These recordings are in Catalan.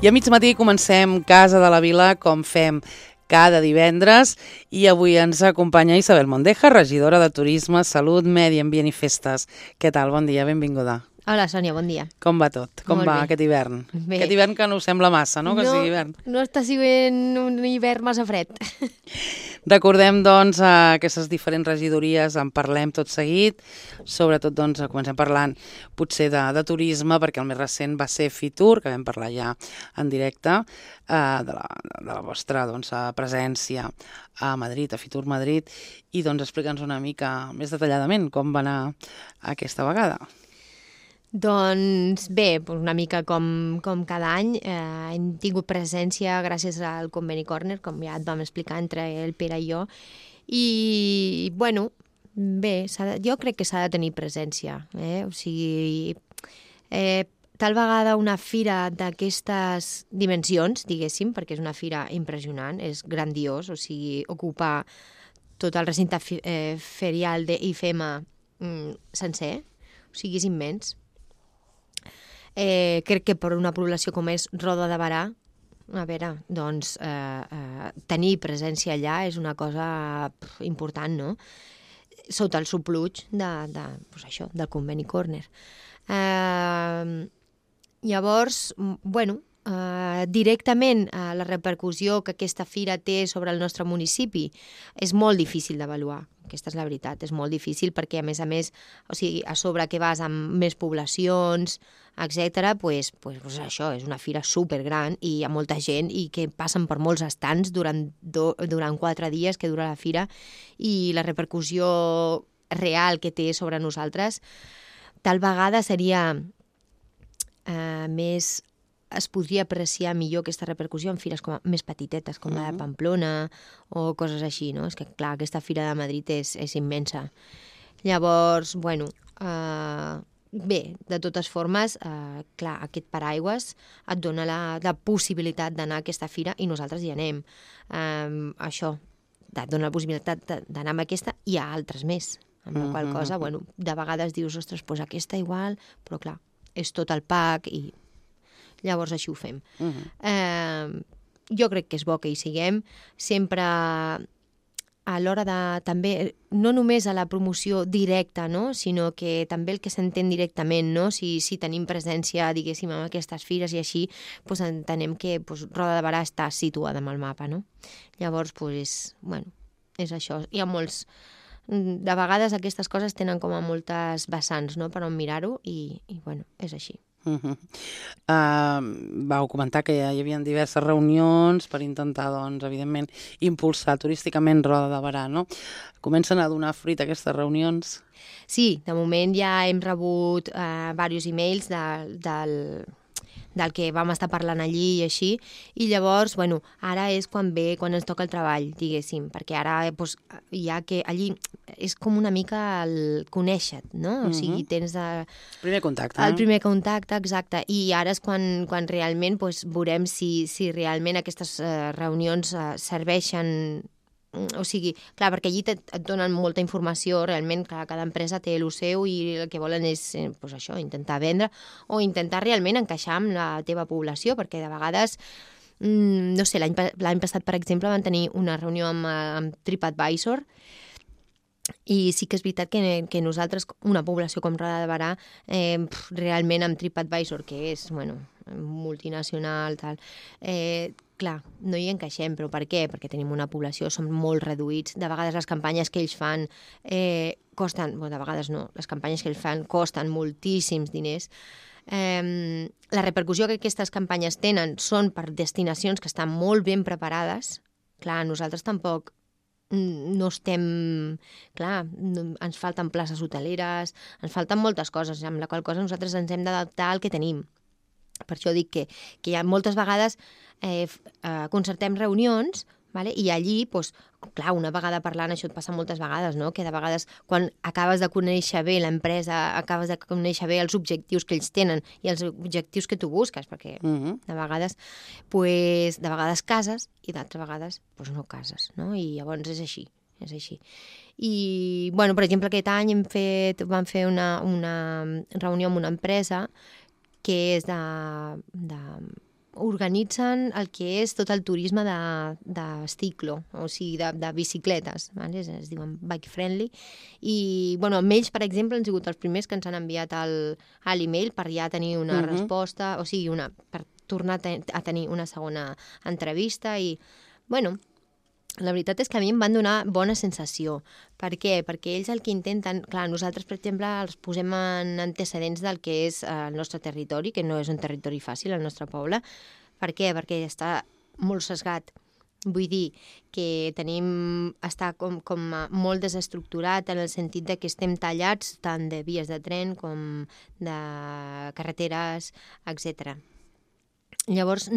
I a mig matí comencem Casa de la Vila com fem cada divendres i avui ens acompanya Isabel Mondeja, regidora de Turisme, Salut, Medi Ambient i Festes. Què tal? Bon dia, benvinguda. Hola, Sònia, bon dia. Com va tot? Com va aquest hivern? Bé. Aquest hivern que no us sembla massa, no? Que sigui hivern. No està sent un hivern massa fred. Recordem, doncs, aquestes diferents regidories, en parlem tot seguit. Sobretot, doncs, comencem parlant potser de turisme, perquè el més recent va ser Fitur, que vam parlar ja en directe, de la vostra doncs, presència a Madrid, a Fitur Madrid, i doncs explica'ns una mica més detalladament com va anar aquesta vegada. Doncs bé, una mica com cada any, hem tingut presència gràcies al Conveni Corner, com ja et vam explicar entre el Pere i jo, i bueno, bé, jo crec que s'ha de tenir presència, o sigui, tal vegada una fira d'aquestes dimensions, diguéssim, perquè és una fira impressionant, és grandiós, o sigui, ocupar tot el recinte ferial d'IFEMA sencer, o sigui, és immens. Crec que per una població com és Roda de Berà, a veure, doncs tenir presència allà és una cosa important, no? Sota el supluig del Conveni Corner. Llavors, bueno, directament la repercussió que aquesta fira té sobre el nostre municipi és molt difícil d'avaluar. Aquesta és la veritat, és molt difícil perquè, a més, o sigui, a sobre que vas amb més poblacions, etc., pues això, és una fira supergran i hi ha molta gent i que passen per molts estants durant 4 dies que dura la fira i la repercussió real que té sobre nosaltres tal vegada seria més... es podria apreciar millor aquesta repercussió en fires més petitetes, com la de Pamplona o coses així, no? És que, clar, aquesta fira de Madrid és immensa. Llavors, bueno, bé, de totes formes, clar, aquest paraigües et dona la possibilitat d'anar a aquesta fira i nosaltres hi anem. Això, et dona la possibilitat d'anar a aquesta i a altres més. Amb la qual cosa, bueno, de vegades dius, ostres, doncs aquesta igual, però clar, és tot el pack i llavors així ho fem. Jo crec que és bo que hi siguem, sempre a l'hora de també, no només a la promoció directa, no? Sinó que també el que s'entén directament, no? Si tenim presència, diguéssim, en aquestes fires i així, doncs entenem que Roda de Berà està situada en el mapa, no? Llavors, bueno, és això. Hi ha molts... De vegades aquestes coses tenen com a moltes vessants, no?, per on mirar-ho i bueno, és així. Vau comentar que hi havia diverses reunions per intentar, doncs, evidentment, impulsar turísticament Roda de Berà, no? Comencen a donar fruit aquestes reunions? Sí, de moment ja hem rebut diversos emails del que vam estar parlant allí i així, i llavors, bueno, ara és quan ens toca el treball, diguéssim, perquè ara ja que allí és com una mica el conèixer-te, no? O sigui, tens el primer contacte. El primer contacte, exacte, i ara és quan realment veurem si realment aquestes reunions serveixen. O sigui, clar, perquè allí et donen molta informació, realment cada empresa té el seu i el que volen és això, intentar vendre o intentar realment encaixar amb la teva població, perquè de vegades, no sé, l'any passat, per exemple, van tenir una reunió amb TripAdvisor i sí que és veritat que nosaltres, una població com Roda de Berà, realment amb TripAdvisor, que és, bueno, multinacional, tal, clar, no hi encaixem, però per què? Perquè tenim una població, som molt reduïts, de vegades les campanyes que ells fan costen, de vegades no, les campanyes que ells fan costen moltíssims diners. La repercussió que aquestes campanyes tenen són per destinacions que estan molt ben preparades. Clar, nosaltres tampoc no estem... Clar, ens falten places hoteleres, ens falten moltes coses, amb la qual cosa nosaltres ens hem d'adaptar al que tenim. Per això dic que hi ha moltes vegades concertem reunions, vale? I allí, clar, una vegada parlant, això et passa moltes vegades, no? Que de vegades, quan acabes de conèixer bé l'empresa, acabes de conèixer bé els objectius que ells tenen i els objectius que tu busques, perquè de vegades cases i d'altres vegades no cases, no? I llavors és així. és així. I, bueno, per exemple, aquest any vam fer una reunió amb una empresa que és organitzen el que és tot el turisme de ciclo, o sigui, de bicicletes, vale? Es diuen bike friendly, i bueno, amb ells, per exemple, han sigut els primers que ens han enviat l'email per ja tenir una resposta, o sigui, per tornar a tenir una segona entrevista, i bueno, la veritat és que a mi em van donar bona sensació. Per què? Perquè ells el que intenten... Clar, nosaltres, per exemple, els posem en antecedents del que és el nostre territori, que no és un territori fàcil, el nostre poble. Per què? Perquè està molt sesgat. Vull dir que està com molt desestructurat en el sentit de que estem tallats tant de vies de tren com de carreteres, etc. Llavors,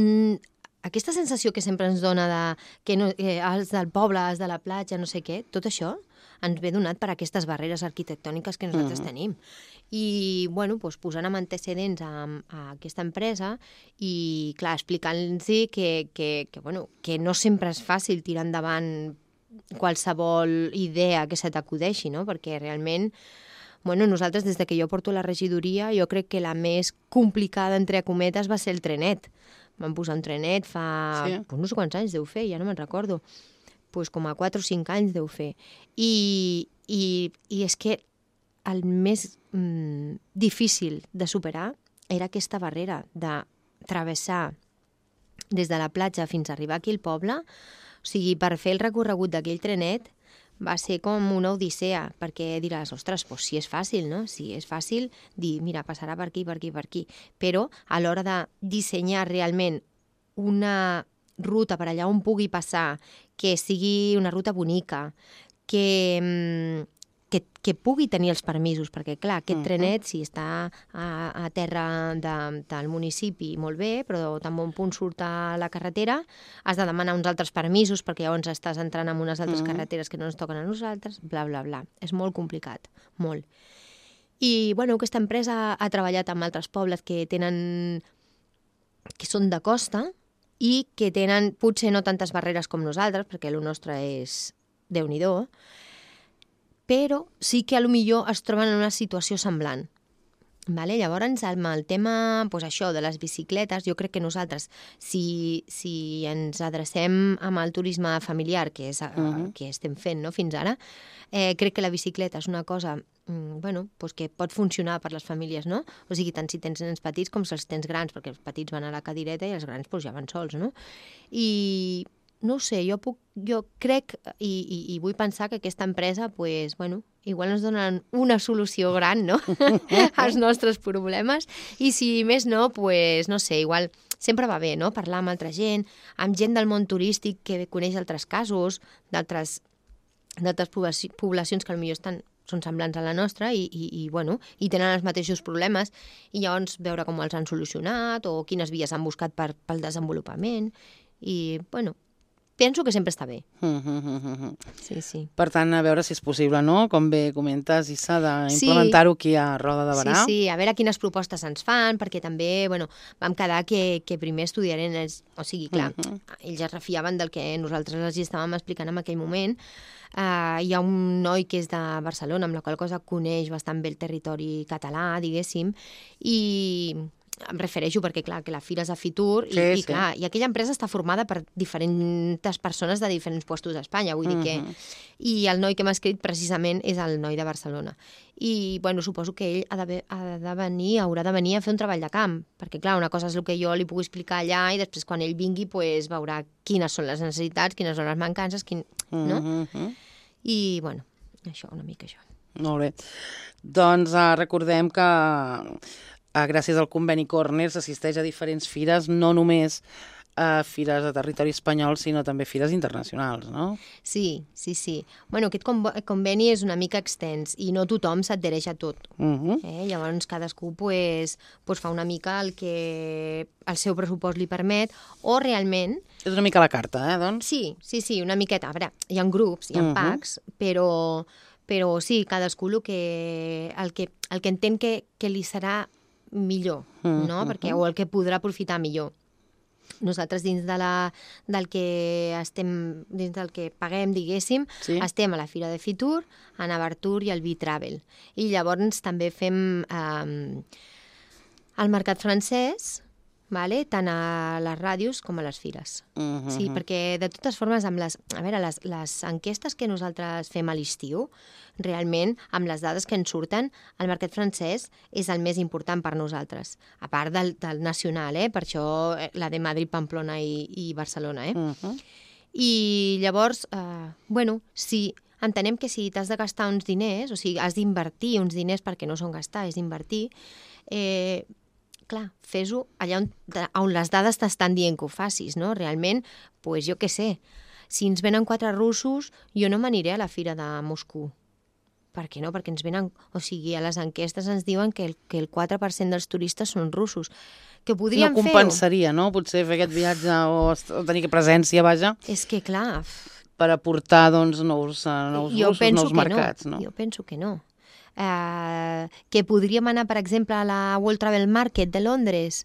aquesta sensació que sempre ens dona que els del poble, els de la platja, no sé què, tot això ens ve donat per aquestes barreres arquitectòniques que nosaltres tenim. I, bueno, doncs, posant amb antecedents a aquesta empresa i, clar, explicant-los que no sempre és fàcil tirar endavant qualsevol idea que se t'acudeixi, no? Perquè realment, bueno, nosaltres, des que jo porto la regidoria, jo crec que la més complicada, entre cometes, va ser el trenet. Vam posar un trenet fa... Sí. Pues no sé quants anys deu fer, ja no me'n recordo. Pues com a 4 o 5 anys deu fer. I és que el més difícil de superar era aquesta barrera de travessar des de la platja fins a arribar aquí al poble. O sigui, per fer el recorregut d'aquell trenet va ser com una odissea, perquè diràs, ostres, doncs si és fàcil, no? Si és fàcil dir, mira, passarà per aquí, per aquí, per aquí. Però a l'hora de dissenyar realment una ruta per allà on pugui passar, que sigui una ruta bonica, que pugui tenir els permisos, perquè, clar, aquest trenet, si està a terra del municipi, molt bé, però tan bon punt surt a la carretera, has de demanar uns altres permisos, perquè llavors estàs entrant en unes altres carreteres que no ens toquen a nosaltres, bla, bla, bla. És molt complicat, molt. I, bueno, aquesta empresa ha treballat amb altres pobles que són de costa i que tenen, potser no tantes barreres com nosaltres, perquè el nostre és Déu-n'hi-do, però sí que potser es troben en una situació semblant. Vale? Llavors, amb el tema això de les bicicletes, jo crec que nosaltres, si ens adrecem amb el turisme familiar, que és que estem fent, no, fins ara, crec que la bicicleta és una cosa que pot funcionar per les famílies, no? O sigui, tant si tens nens petits com si els tens grans, perquè els petits van a la cadireta i els grans ja van sols, no? I no ho sé, jo crec i vull pensar que aquesta empresa, igual ens donen una solució gran, no?, als nostres problemes, i si més no, no sé, igual sempre va bé, no?, parlar amb altra gent, amb gent del món turístic que coneix altres casos, d'altres poblacions que potser són semblants a la nostra i tenen els mateixos problemes, i llavors veure com els han solucionat o quines vies han buscat pel desenvolupament, i, penso que sempre està bé. Sí, sí. Per tant, a veure si és possible, no? Com bé comentes, Issa, d'implementar-ho aquí a Roda de Berà. Sí, a veure quines propostes ens fan, perquè també, vam quedar que primer estudiarem, o sigui, clar, ells es refiaven del que nosaltres els estàvem explicant en aquell moment. Hi ha un noi que és de Barcelona, amb la qual cosa coneix bastant bé el territori català, diguéssim, i em refereixo perquè, clar, que la fira és a Fitur i clar, i aquella empresa està formada per diferents persones de diferents puestos d'Espanya, vull dir que... I el noi que m'ha escrit precisament és el noi de Barcelona. I, suposo que ell haurà de venir a fer un treball de camp, perquè, clar, una cosa és el que jo li puc explicar allà i després quan ell vingui veurà quines són les necessitats, quines són les mancances, no? I, això, una mica això. Molt bé. Doncs recordem que gràcies al conveni Corner s'assisteix a diferents fires, no només a fires de territori espanyol, sinó també fires internacionals, no? Sí. Aquest conveni és una mica extens i no tothom s'adhereix a tot. Llavors cadascú fa una mica el que el seu pressupost li permet, o realment... És una mica la carta, doncs? Sí, una miqueta. A veure, hi ha grups, hi ha packs, però sí, cadascú el que entén que li serà millor, no? Perquè, o el que podrà aprofitar millor. Nosaltres dins del que paguem, diguéssim, Sí. estem a la Fira de Fitur, a Navartur i al B-Travel. I llavors també fem el mercat francès, vale? Tant a les ràdios com a les fires. Sí, perquè de totes formes, amb les enquestes que nosaltres fem a l'estiu, realment, amb les dades que ens surten, el mercat francès és el més important per nosaltres, a part del nacional, per això la de Madrid, Pamplona i Barcelona. I llavors, si entenem que si t'has de gastar uns diners, o sigui, has d'invertir uns diners perquè no són gastar, és invertir, clar, fes-ho allà on les dades t'estan dient que ho facis, no? Realment, doncs jo què sé, si ens venen 4 russos, jo no m'aniré a la fira de Moscou. Per què no? Perquè ens venen... O sigui, a les enquestes ens diuen que el 4% dels turistes són russos. Que podríem fer-ho. No compensaria, no? Potser fer aquest viatge o tenir presència, vaja. És que, clar... Per aportar, doncs, nous russos, nous mercats, no? Jo penso que no. Que podríem anar, per exemple, a la World Travel Market de Londres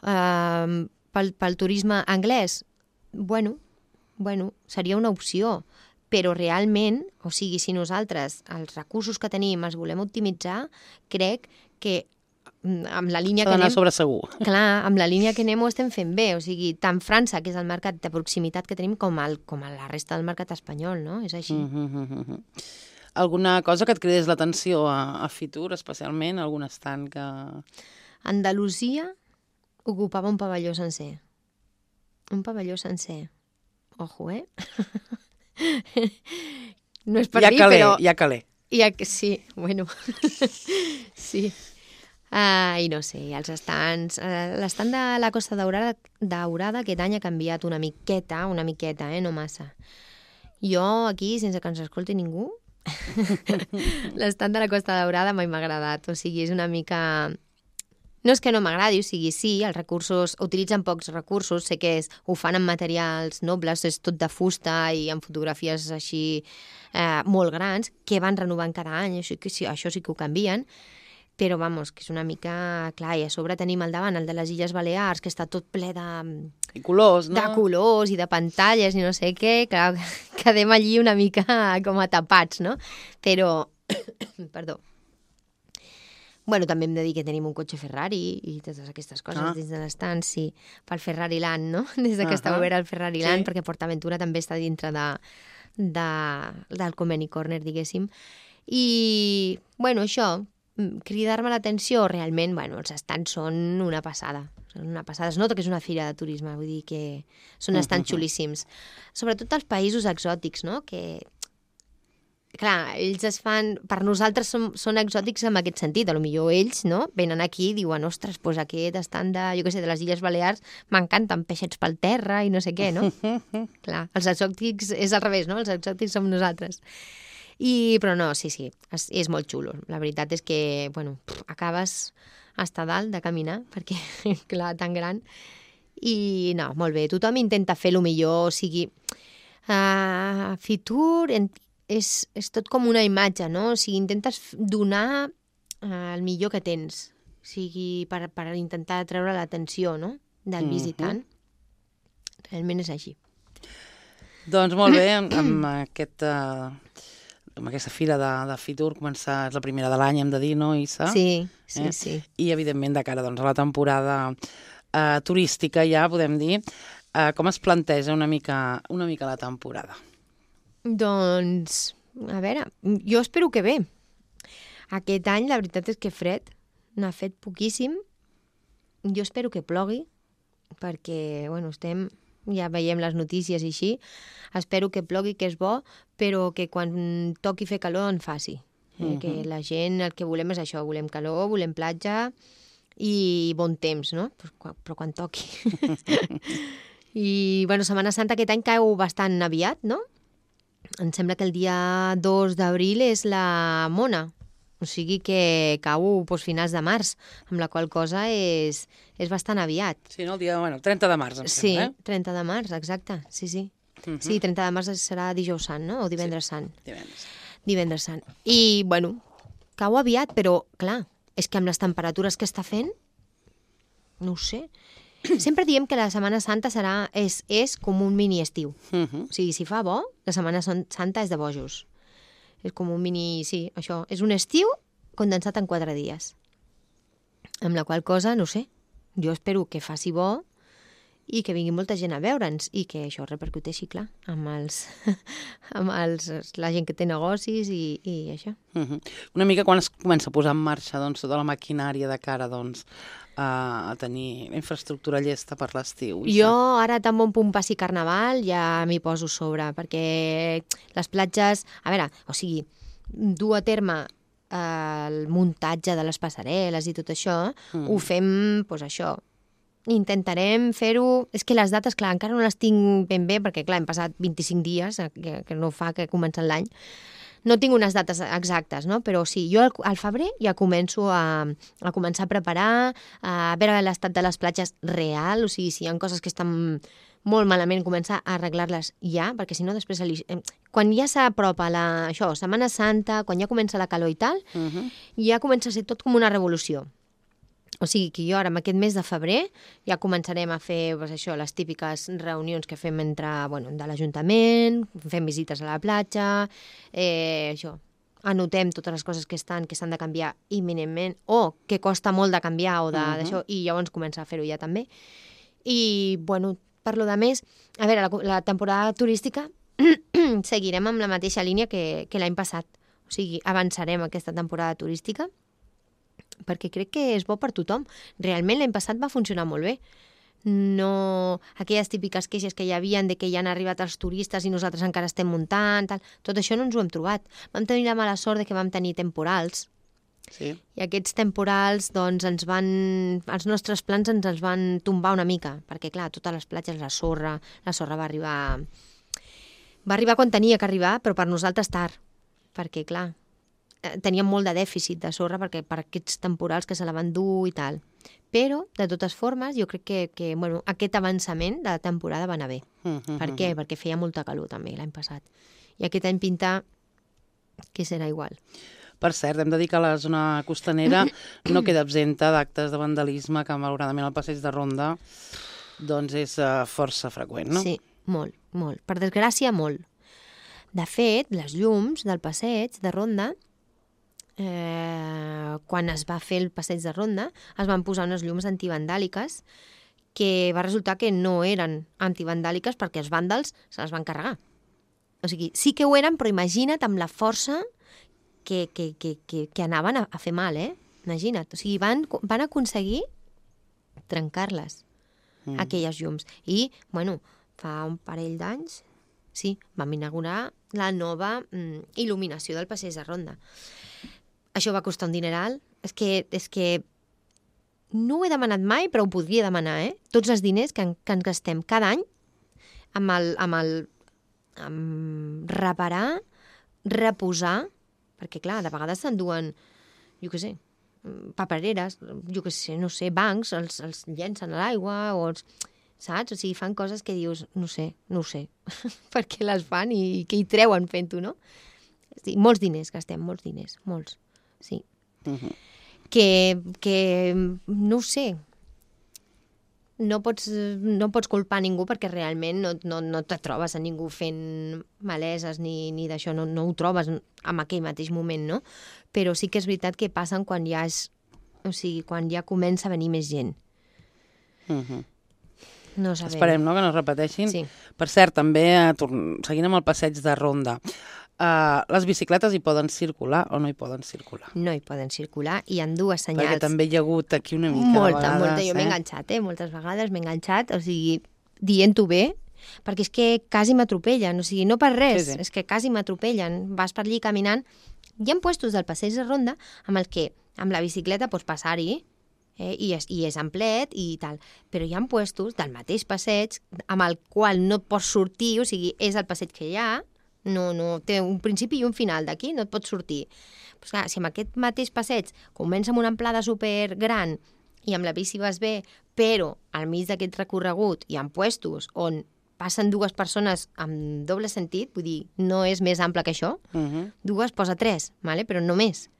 pel turisme anglès. Bueno, seria una opció, però realment, o sigui, si nosaltres els recursos que tenim els volem optimitzar, crec que amb la línia que anem... S'ha d'anar sobre segur. Clar, amb la línia que anem ho estem fent bé, o sigui, tant França, que és el mercat de proximitat que tenim, com a la resta del mercat espanyol, no? És així. Alguna cosa que et cridés l'atenció a Fitur, especialment? Algun estand que... Andalusia ocupava un pavelló sencer. Un pavelló sencer. Ojo, No és per mi, però... Ja calé. Sí, bueno, sí. I no sé, els estands... L'estant de la Costa Daurada aquest any ha canviat una miqueta, no massa. Jo aquí, sense que ens escolti ningú, l'estant de la Costa Daurada mai m'ha agradat. O sigui, és una mica... No és que no m'agradi, o sigui, sí, els recursos, utilitzen pocs recursos, sé que ho fan amb materials nobles, és tot de fusta i amb fotografies així molt grans, que van renovant cada any, això sí que ho canvien, però, vamos, que és una mica... Clar, i a sobre tenim al davant el de les Illes Balears, que està tot ple de... I colors, no? De colors i de pantalles i no sé què, clar, quedem allí una mica com a tapats, no? Però... Perdó. Bueno, també hem de dir que tenim un cotxe Ferrari i totes aquestes coses dins de l'estand, sí, pel Ferrari Land, no? Des que està obert el Ferrari Land, perquè PortAventura també està dintre del Conveni Corner, diguéssim. I, bueno, això, cridar-me l'atenció, realment, bueno, els estands són una passada. Són una passada. Es nota que és una fira de turisme, vull dir que són estands xulíssims. Sobretot els països exòtics, no? Que... Clar, ells es fan... Per nosaltres són exòtics en aquest sentit. Potser ells, no?, venen aquí i diuen, ostres, doncs aquest estant de, jo què sé, de les Illes Balears m'encanten peixets pel terra i no sé què, no? Clar, els exòtics és al revés, no? Els exòtics som nosaltres. Però no, sí, és molt xulo. La veritat és que, bueno, acabes hasta dalt de caminar, perquè, clar, tan gran. I no, molt bé, tothom intenta fer el millor, o sigui... Fitur... És tot com una imatge, no? O sigui, intentes donar el millor que tens, o sigui, per intentar treure l'atenció, no?, del visitant. Realment és així. Doncs molt bé, amb aquesta fira de Fitur és la primera de l'any, hem de dir, no, Issa? Sí. I, evidentment, de cara a la temporada turística, ja podem dir, com es planteja una mica la temporada? Doncs, a veure, jo espero que bé. Aquest any la veritat és que fred, n'ha fet poquíssim. Jo espero que plogui, perquè, bueno, ja veiem les notícies i així. Espero que plogui, que és bo, però que quan toqui fer calor en faci. Que la gent, el que volem és això, volem calor, volem platja i bon temps, no? Però quan toqui. I, bueno, Setmana Santa aquest any cau bastant aviat, no? Em sembla que el dia 2 d'abril és la Mona, o sigui que cau finals de març, amb la qual cosa és bastant aviat. Sí, no? El dia, 30 de març, em sembla, 30 de març, exacte, sí. Sí, 30 de març serà dijous sant, no? O divendres sant. Divendres sant. I, bueno, cau aviat, però, clar, és que amb les temperatures que està fent, no ho sé. Sempre diem que la Setmana Santa és com un mini estiu. O sigui, si fa bo, la Setmana Santa és de bojos. És com un mini... Sí, això. És un estiu condensat en 4 dies. Amb la qual cosa, no sé, jo espero que faci bo i que vingui molta gent a veure'ns i que això repercuteixi, clar, amb la gent que té negocis i això. Una mica quan es comença a posar en marxa doncs, tota la maquinària de cara doncs, a tenir la infraestructura llesta per l'estiu. Jo ara tan bon punt passi Carnaval ja m'hi poso sobre, perquè les platges... A veure, o sigui, dur a terme el muntatge de les passarel·les i tot això, ho fem, doncs això, intentarem fer-ho... És que les dates, clar, encara no les tinc ben bé, perquè, clar, hem passat 25 dies, que no fa que comença l'any. No tinc unes dates exactes, no? Però sí, jo al febrer ja començo a començar a preparar, a veure l'estat de les platges real, o sigui, si hi ha coses que estan molt malament, començar a arreglar-les ja, perquè si no després... Quan ja s'apropa això, Setmana Santa, quan ja comença la calor i tal, ja comença a ser tot com una revolució. O sigui que jo ara, en aquest mes de febrer, ja començarem a fer doncs, això, les típiques reunions que fem de l'Ajuntament, fem visites a la platja, això, anotem totes les coses que s'han de canviar imminentment o que costa molt de canviar o d'això, i llavors començar a fer-ho ja també. I, bueno, per lo de més, a veure, la temporada turística seguirem amb la mateixa línia que l'any passat. O sigui, avançarem aquesta temporada turística perquè crec que és bo per tothom. Realment l'any passat va funcionar molt bé. No aquelles típiques queixes que hi havia de que ja han arribat els turistes i nosaltres encara estem muntant, tal. Tot això no ens ho hem trobat. Vam tenir la mala sort de que vam tenir temporals. Sí. I aquests temporals, doncs, els nostres plans ens els van tombar una mica, perquè, clar, totes les platges, la sorra va arribar quan tenia que arribar, però per nosaltres tard, perquè, clar, teníem molt de dèficit de sorra per aquests temporals que se la van dur i tal. Però, de totes formes, jo crec que bueno, aquest avançament de la temporada va anar bé. Per què? Perquè feia molta calor també l'any passat. I aquest any pinta que serà igual. Per cert, hem de dir que la zona costanera no queda absenta d'actes de vandalisme que malauradament al passeig de Ronda doncs és força freqüent, no? Sí, molt, molt. Per desgràcia, molt. De fet, les llums del passeig de Ronda, quan es va fer el passeig de Ronda, es van posar unes llums antivandàliques que va resultar que no eren antivandàliques perquè els vàndals se les van carregar. O sigui, sí que ho eren, però imagina't amb la força que anaven a fer mal, Imagina't. O sigui, van aconseguir trencar-les, aquelles llums. I, bueno, fa un parell d'anys, sí, vam inaugurar la nova il·luminació del passeig de Ronda. Això va costar un dineral. És que no ho he demanat mai, però ho podria demanar, Tots els diners que ens gastem cada any amb reparar, reposar, perquè, clar, de vegades s'enduen, jo què sé, papereres, jo què sé, no sé, bancs, els llencen a l'aigua, o saps? O sigui, fan coses que dius, no sé, per què les fan i què hi treuen fent-ho, no? Sí, molts diners gastem, molts diners, molts. Sí. Que no ho sé, no pots culpar ningú perquè realment no te trobes a ningú fent maleses ni d'això, no ho trobes en aquell mateix moment, no? Però sí que és veritat que passen quan quan ja comença a venir més gent. No sabem. Esperem, no?, que no es repeteixin. Sí. Per cert, també, seguint amb el passeig de Ronda, les bicicletes hi poden circular o no hi poden circular? No hi poden circular i hi ha dues senyals. Perquè també hi ha hagut aquí una mica molta, de vegades. Jo m'he enganxat, moltes vegades m'he enganxat, o sigui, dient-ho bé, perquè és que quasi m'atropellen, o sigui, no per res, sí. És que quasi m'atropellen. Vas per allí caminant, hi ha puestos del passeig de Ronda amb la bicicleta pots passar-hi, i és amplet i tal, però hi ha puestos del mateix passeig amb el qual no pots sortir, o sigui, és el passeig que hi ha, no té un principi i un final, d'aquí no et pots sortir. Pues clar, si amb aquest mateix passeig comença amb una amplada super gran i amb la bici vas bé, però al mig d'aquest recorregut hi ha puestos on passen dues persones amb doble sentit, vull dir, no és més ample que això, dues posa 3, vale? Però no més.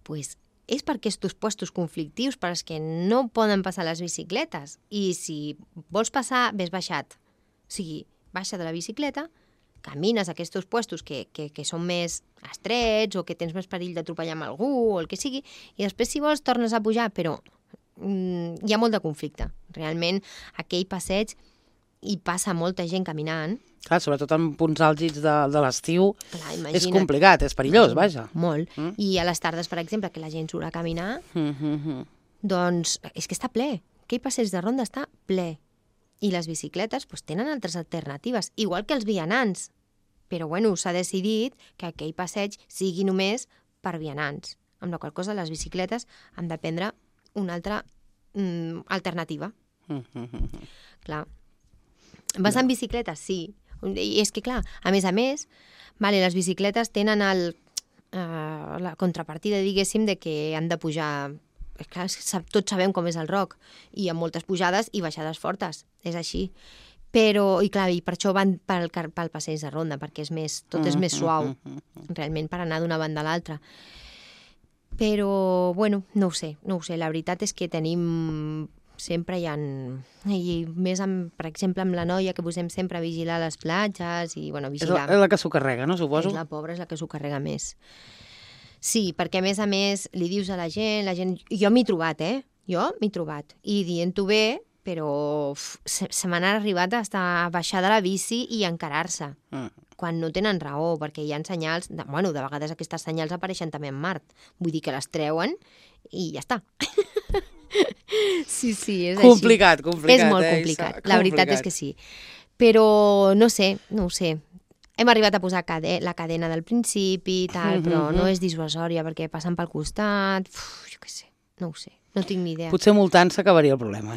Pues és per aquests puestos conflictius per als que no poden passar les bicicletes. I si vols passar, ves baixat. O sigui, baixa de la bicicleta, camines a aquests puestos que són més estrets o que tens més perill d'atropellar amb algú o el que sigui, i després, si vols, tornes a pujar, però hi ha molt de conflicte. Realment, aquell passeig hi passa molta gent caminant. Clar, sobretot en punts àlgids de l'estiu, és Imagina't. complicat, és perillós, vaja. Molt. I a les tardes, per exemple, que la gent surt a caminar, doncs és que està ple. Aquell passeig de ronda està ple. I les bicicletes doncs, tenen altres alternatives, igual que els vianants. Però bueno, s'ha decidit que aquell passeig sigui només per vianants, amb la qual cosa les bicicletes han de prendre una altra alternativa. Clar. Vas en bicicleta? Sí. I és que, clar, a més, vale, les bicicletes tenen la contrapartida, diguéssim, de que han de pujar. Clar, tots sabem com és el rock, i amb moltes pujades i baixades fortes, és així. Però, i clar, i per això van pel passeig de ronda, perquè tot és més suau, realment, per anar d'una banda a l'altra. Però, bueno, no ho sé. La veritat és que tenim... Sempre hi ha... I més, per exemple, amb la noia, que posem sempre a vigilar les platges i, bueno, vigilar... És la que s'ho carrega, no, suposo? És la pobra, és la que s'ho carrega més. Sí, perquè a més, li dius a la gent... Jo m'he trobat, Jo m'he trobat. I dient-ho bé, però se m'han arribat a baixar de la bici i encarar-se. Quan no tenen raó, perquè hi ha senyals... de vegades aquestes senyals apareixen també en Mart. Vull dir que les treuen i ja està. Sí, és complicat, així. És molt complicat, la veritat és que sí. Però no ho sé. Hem arribat a posar la cadena del principi i tal, però no és dissuasòria perquè passen pel costat. Jo què sé, no ho sé, no tinc ni idea. Potser multant s'acabaria el problema,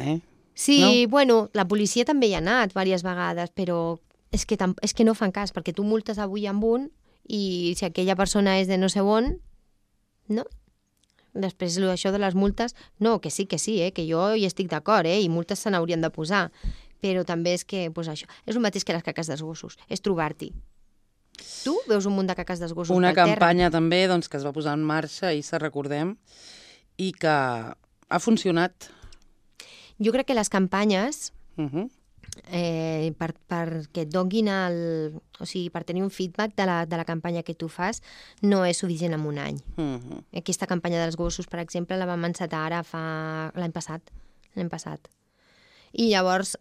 Sí, no? Bueno, la policia també hi ha anat diverses vegades, però és que no fan cas, perquè tu multes avui amb un i si aquella persona és de no sé on, no? Després, això de les multes, no, que sí, que jo hi estic d'acord, i multes se n'haurien de posar, però també és que, això, és el mateix que les caques dels gossos, és trobar-t'hi. Tu veus un munt de caques dels gossos Una pel terra? campanya també doncs, que es va posar en marxa, ahir se recordem, i que ha funcionat. Jo crec que les campanyes, perquè et donin o sigui, per tenir un feedback de la campanya que tu fas, no és suficient en un any. Aquesta campanya dels gossos, per exemple, la vam encetar ara l'any passat. I llavors,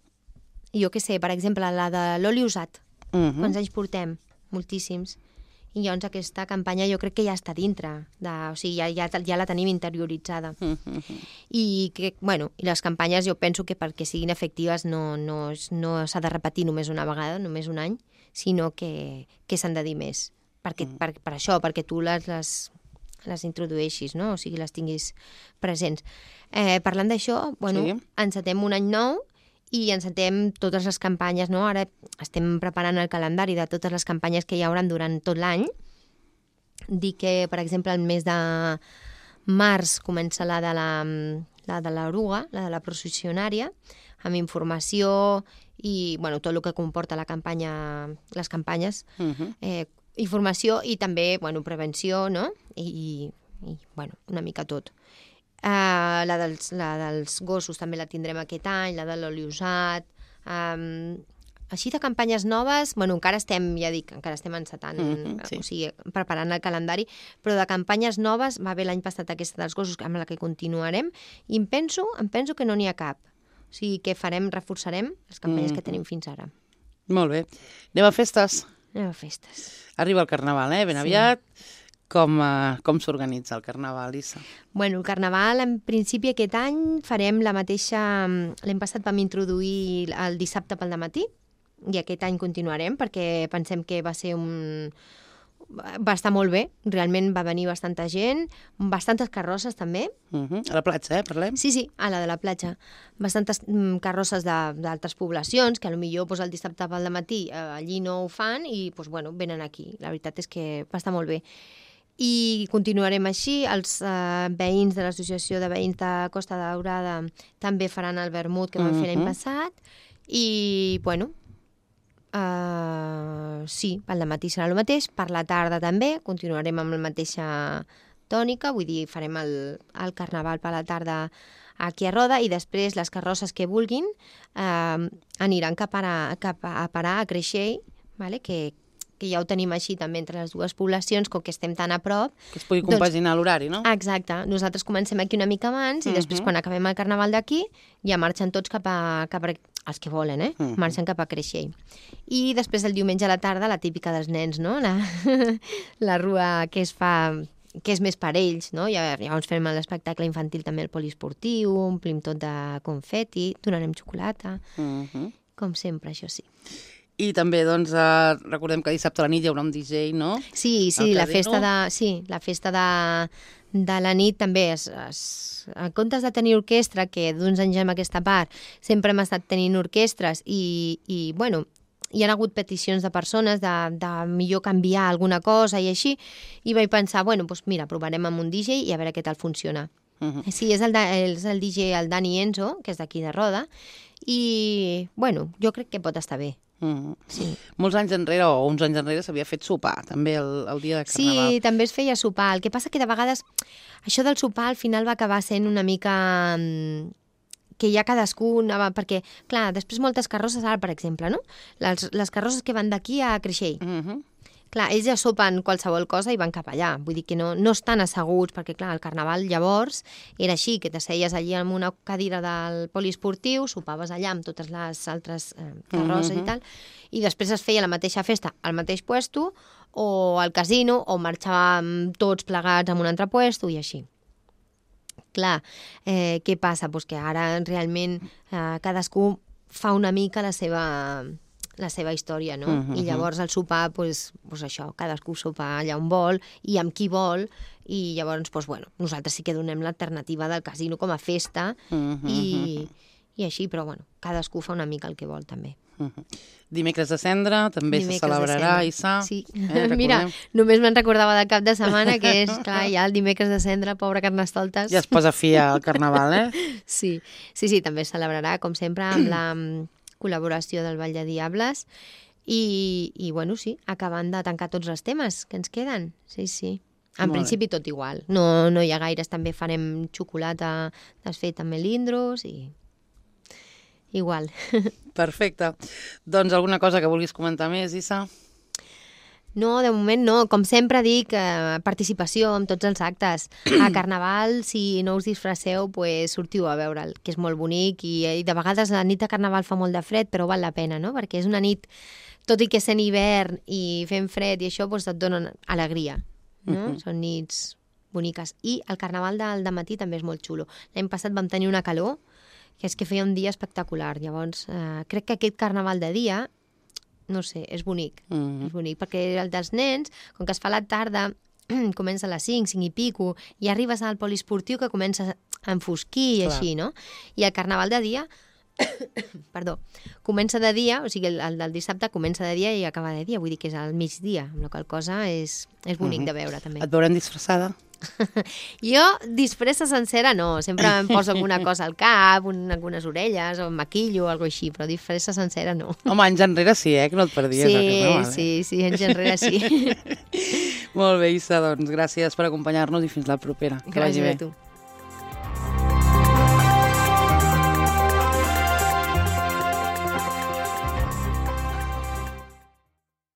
jo què sé, per exemple, la de l'oli usat. Quants anys portem? Moltíssims. I llavors aquesta campanya jo crec que ja està dintre, o sigui, ja la tenim interioritzada. I les campanyes jo penso que perquè siguin efectives no s'ha de repetir només una vegada, només un any, sinó que s'han de dir més. Per això, perquè tu les introdueixis, no? O sigui, les tinguis presents. Parlant d'això, encetem un any nou i encetem totes les campanyes, no? Ara estem preparant el calendari de totes les campanyes que hi haurà durant tot l'any. Dic que, per exemple, el mes de març comença la de l'oruga, la de la processionària, amb informació i tot el que comporta les campanyes, informació i també prevenció, no? I una mica tot. La dels gossos també la tindrem aquest any, la de l'oli usat. Així de campanyes noves, encara estem encetant, sí. O sigui, preparant el calendari, però de campanyes noves va haver l'any passat aquesta dels gossos, amb la que continuarem, i em penso que no n'hi ha cap. O sigui, que reforçarem les campanyes que tenim fins ara. Molt bé. Anem a festes? Anem a festes. Arriba el Carnaval, ben aviat. Com s'organitza el Carnaval, Issa? El Carnaval, en principi, aquest any farem la mateixa... L'any passat vam introduir el dissabte pel dematí i aquest any continuarem perquè pensem que va estar molt bé. Realment va venir bastanta gent, bastantes carrosses també. A la platja, parlem? Sí, a la de la platja. Bastantes carrosses d'altres poblacions que potser el dissabte pel dematí allí no ho fan i venen aquí. La veritat és que va estar molt bé. I continuarem així. Els veïns de l'Associació de Veïns de Costa Daurada també faran el vermut que van fer l'any passat. I, sí, pel dematí serà el mateix. Per la tarda també continuarem amb la mateixa arquitectònica, vull dir, farem el carnaval per la tarda aquí a Roda, i després les carrosses que vulguin aniran cap a parar a Creixell, vale? que ja ho tenim així també entre les dues poblacions, com que estem tan a prop. Que es pugui compaginar l'horari, no? Exacte. Nosaltres comencem aquí una mica abans i després, quan acabem el carnaval d'aquí, ja marxen tots cap a els que volen, marxen cap a Creixell. I després el diumenge a la tarda, la típica dels nens, no? La rua que es fa, que és més per ells, no? Llavors fem l'espectacle infantil també al poliesportiu, omplim tot de confeti, donarem xocolata, com sempre, això sí. I també, doncs, recordem que dissabte a la nit hi haurà un DJ, no? Sí, la festa de la nit també en comptes de tenir orquestra, que d'uns anys en aquesta part sempre hem estat tenint orquestres i bueno, hi ha hagut peticions de persones de millor canviar alguna cosa i així, i vaig pensar, bueno, doncs mira, provarem amb un DJ i a veure què tal funciona. Sí, és el DJ, el Dani Enzo, que és d'aquí de Roda, i, bueno, jo crec que pot estar bé. Sí. Molts anys enrere, o uns anys enrere, s'havia fet sopar, també el dia de Carnaval. Sí, també es feia sopar. El que passa que de vegades això del sopar al final va acabar sent una mica que ja cadascú anava... Perquè, clar, després moltes carrosses, ara, per exemple, no? Les carrosses que van d'aquí a Creixell. Clar, ells ja sopen qualsevol cosa i van cap allà. Vull dir que no estan asseguts, perquè, clar, el carnaval llavors era així, que t'asseies allí en una cadira del poliesportiu, sopaves allà amb totes les altres carrosses i tal, i després es feia la mateixa festa al mateix puesto, o al casino, o marxàvem tots plegats en un altre puesto, i així. Clar, què passa? Pues que ara realment cadascú fa una mica la seva història, no? I llavors el sopar, doncs això, cadascú sopa allà on vol i amb qui vol, i llavors, doncs bueno, nosaltres sí que donem l'alternativa del casino com a festa i així, però bueno, cadascú fa una mica el que vol també. Dimecres de Cendra també se celebrarà, Issa. Sí, mira, només me'n recordava del cap de setmana, que és, clar, ja el dimecres de Cendra, pobre Carnestoltes. Ja es posa fi al Carnaval, Sí, també es celebrarà, com sempre, amb la col·laboració del Ball de Diables i bueno, sí, acabant de tancar tots els temes que ens queden. Sí. En principi tot igual. No hi ha gaires, també farem xocolata desfeta amb melindros i igual. Perfecte. Doncs alguna cosa que vulguis comentar més, Issa? No, de moment no. Com sempre dic, participació en tots els actes. A Carnaval, si no us disfresseu, pues, sortiu a veure'l, que és molt bonic, i de vegades la nit de Carnaval fa molt de fred, però val la pena, no? Perquè és una nit, tot i que sent hivern i fent fred i això, pues, et donen alegria, no? Són nits boniques. I el Carnaval del dematí també és molt xulo. L'any passat vam tenir una calor, que és que feia un dia espectacular. Llavors, crec que aquest Carnaval de dia, no sé, és bonic. És bonic, perquè el dels nens, com que es fa a la tarda, comença a les 5 i pico, i arribes al poliesportiu que comença a enfosquir i així, no? I el Carnaval de dia, perdó, comença de dia, o sigui, el del dissabte comença de dia i acaba de dia, vull dir que és al migdia, amb la qual cosa és bonic de veure, també. Et veurem disfressada? Jo, disfressa sencera no, sempre em poso alguna cosa al cap, algunes orelles, o em maquillo o alguna cosa així, però disfressa sencera no. Home, anys enrere sí, que no et perdies. Sí, anys enrere sí. Molt bé, Issa, doncs gràcies per acompanyar-nos i fins la propera. Gràcies a tu.